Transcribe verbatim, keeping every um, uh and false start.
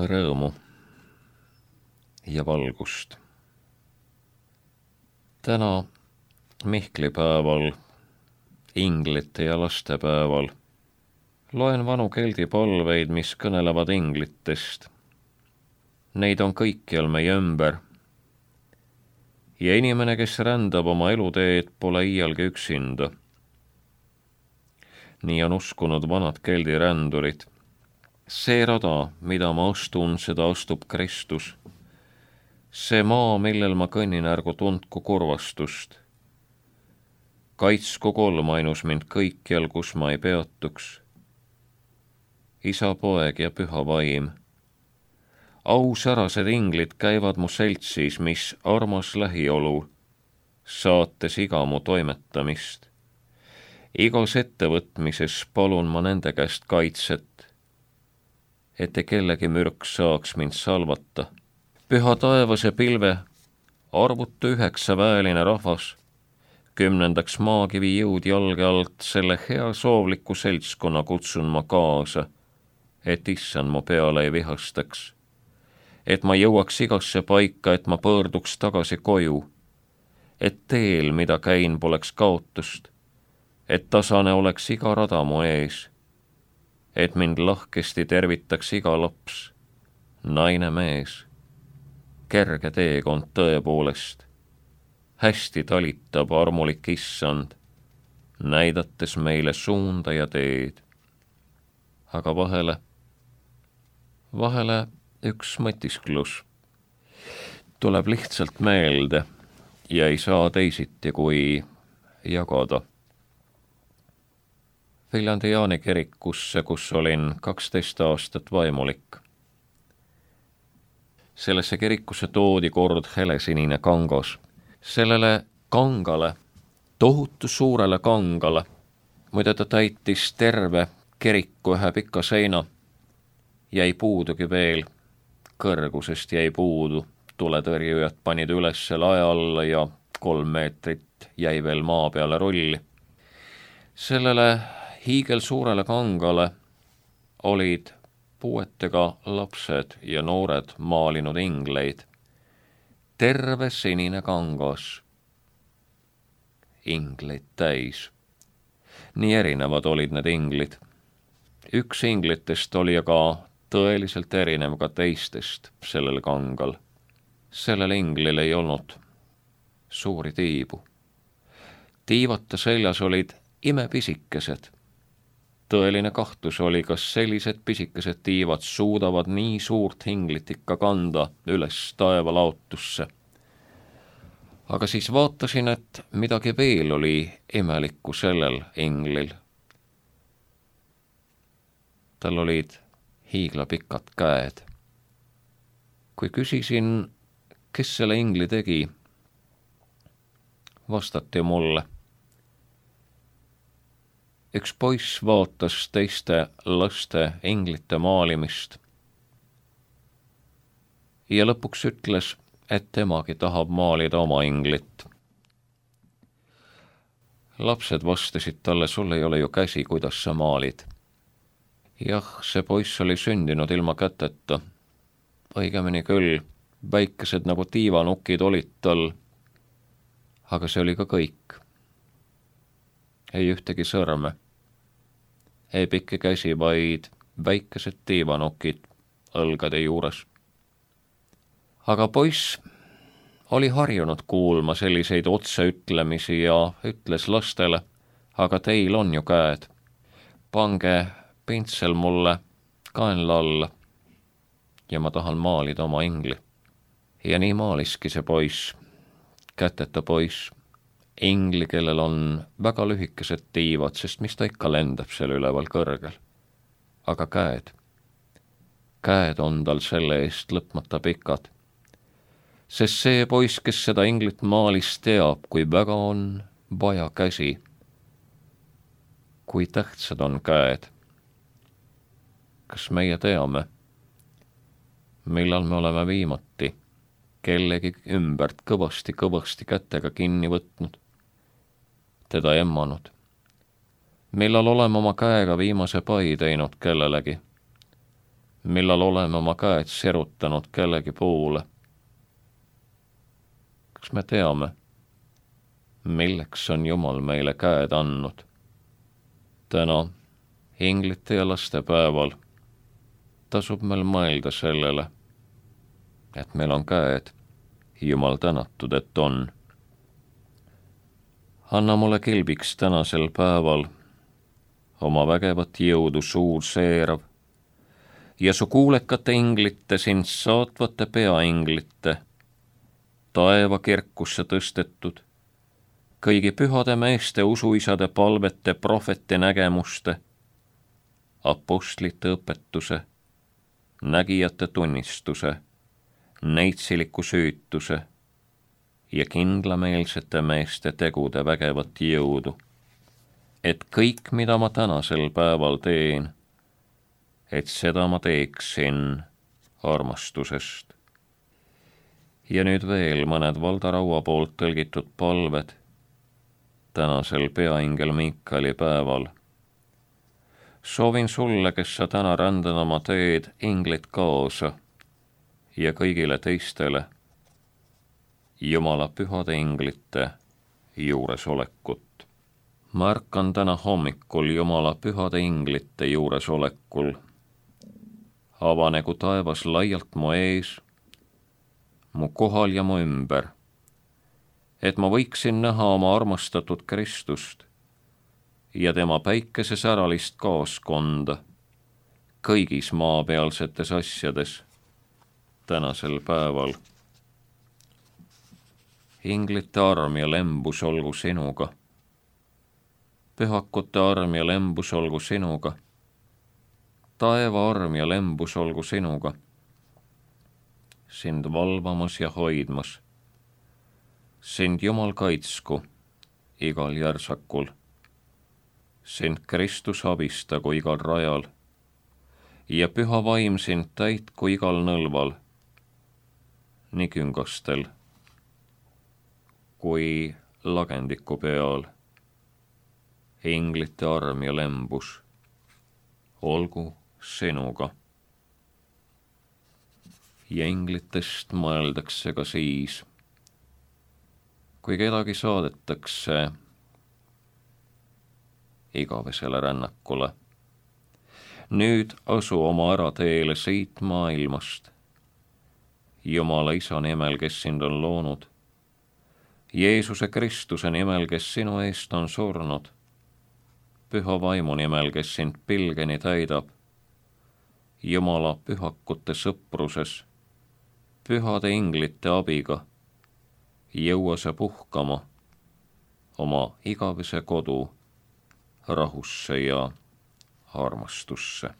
rõõmu ja valgust. Täna Mihklipäeval, inglite ja lastepäeval loen vanu keldi palveid, mis kõnelevad inglitest. Neid on kõikjal meie ümber. Ja inimene, kes rändab oma eluteed, pole iialgi üksinda. Nii on uskunud vanad keldi rändurid. See rada, mida ma astun, seda astub Kristus. See maa, millel ma kõnnin, ärgu tundku kurvastust. Kaitsku kolm ainus mind kõikjal, kus ma ei peatuks. Isa, poeg ja püha vaim. Ausärased inglid käivad mu seltsis, mis armas lähiolu, saates iga mu toimetamist. Igas ettevõtmises palun ma nende käest kaitset, ette kellegi mürk saaks mind salvata. Püha taevase pilve, arvutu üheksa väeline rahvas, kümnendaks maakivi jõud jalge alt, selle hea soovliku seltskonna kutsun ma kaasa, et issand mu peale ei vihastaks, et ma jõuaks igasse paika, et ma pöörduks tagasi koju, et teel, mida käin, poleks kaotust, et tasane oleks iga rada mu ees, et mind lahkesti tervitaks iga laps, naine, mees. Kerge teekond tõepoolest, hästi talitab armulik issand, näidates meile suunda ja teed. Aga vahele, vahele üks mõtisklus tuleb lihtsalt meelde ja ei saa teisiti kui jagada. Viljandi Jaani kirikusse, kus olin kaksteist aastat vaimulik. Sellesse kirikusse toodi kord helesinine kangas. Sellele kangale, tohutu suurele kangale, muide ta täitis terve kiriku ühe pika seina, jäi puudugi veel, kõrgusest jäi puudu, tuletõrjujad panid üles lae alla ja kolm meetrit jäi veel maa peale rolli. Sellele hiigel suurele kangale olid puuetega lapsed ja noored maalinud ingleid. Terve sinine kangas. Ingleid täis. Nii erinevad olid need inglid. Üks inglitest oli aga tõeliselt erinev ka teistest sellel kangal. Sellel inglil ei olnud suuri tiibu. Tiivata seljas olid imepisikesed. Tõeline kahtlus oli, kas sellised pisikesed tiivad suudavad nii suurt inglit ikka kanda üles taevalaotusse. Aga siis vaatasin, et midagi veel oli imelikku sellel inglil. Tal olid hiiglapikad käed. Kui küsisin, kes selle ingli tegi, vastati mulle. Üks poiss vaatas teiste laste inglite maalimist ja lõpuks ütles, et temagi tahab maalida oma inglit. Lapsed vastasid talle, sul ei ole ju käsi, kuidas sa maalid. Jah, see poiss oli sündinud ilma käteta. Õigemini küll, väikesed nagu tiivanukid olid tal, aga see oli ka kõik. Ei ühtegi sõrme, ei pikki käsi, vaid väikesed tiivanokid õlgade juures. Aga poiss oli harjunud kuulma selliseid otseütlemisi ja ütles lastele, aga teil on ju käed. Pange pintsel mulle kaenla alla ja ma tahan maalida oma ingli. Ja nii maaliski see poiss, käteta poiss. Ingli, kellel on väga lühikesed tiivad, sest mis ta ikka lendab seal üleval kõrgel. Aga käed, käed on tal selle eest lõpmata pikad. Sest see poiss, kes seda inglit maalis, teab, kui väga on vaja käsi. Kui tähtsad on käed. Kas meie teame, millal me oleme viimati kellegi ümbert kõvasti-kõvasti kätega kinni võtnud, teda emmanud? Millal oleme oma käega viimase pai teinud kellelegi? millal oleme oma käed sirutanud kellegi poole. Kas me teame, milleks on Jumal meile käed andnud? Täna, inglite ja laste päeval, tasub meil mõelda sellele, et meil on käed, Jumal tänatud, et on. Anna mulle kilbiks tänasel päeval oma vägevat jõudu suur seerav ja su kuulekate inglite, sind saatvate peainglite, taeva kirkusse tõstetud, kõigi pühade meeste usuisade palvete, prohvete nägemuste, apostlite õpetuse, nägijate tunnistuse, neitsiliku süütuse ja kindlameelsete meeste tegude vägevat jõudu, et kõik, mida ma tänasel päeval teen, et seda ma teeksin armastusest. Ja nüüd veel mõned Valdo Raua poolt tõlgitud palved tänasel peaingel Miikali päeval. Soovin sulle, kes sa täna rändad oma teed, inglid kaasa ja kõigile teistele Jumala pühade inglite juuresolekut. Ma ärkan täna hommikul Jumala pühade inglite juuresolekul. Avanegu taevas laialt mu ees, mu kohal ja mu ümber, et ma võiksin näha oma armastatud Kristust ja tema päikese säralist kaaskonda kõigis maapealsetes asjades tänasel päeval. Inglite arm ja lembus olgu sinuga, pühakute arm ja lembus olgu sinuga, taeva arm ja lembus olgu sinuga, sind valvamas ja hoidmas, sind Jumal kaitsku igal järsakul, sind Kristus abistagu igal rajal ja püha vaim sind täitku igal nõlval, nii küngastel kui lagendiku peal. Inglite arm ja lembus olgu sinuga. Ja inglitest mõeldakse ka siis, kui kedagi saadetakse igavesele rännakule. Nüüd asu oma ärateele siit maailmast, Jumala Isa nimel, kes sind on loonud, Jeesuse Kristuse nimel, kes sinu eest on surnud, püha vaimu nimel, kes sind pilgeni täidab, Jumala pühakute sõpruses, pühade inglite abiga, jõua sa puhkama oma igavese kodu rahusse ja armastusse.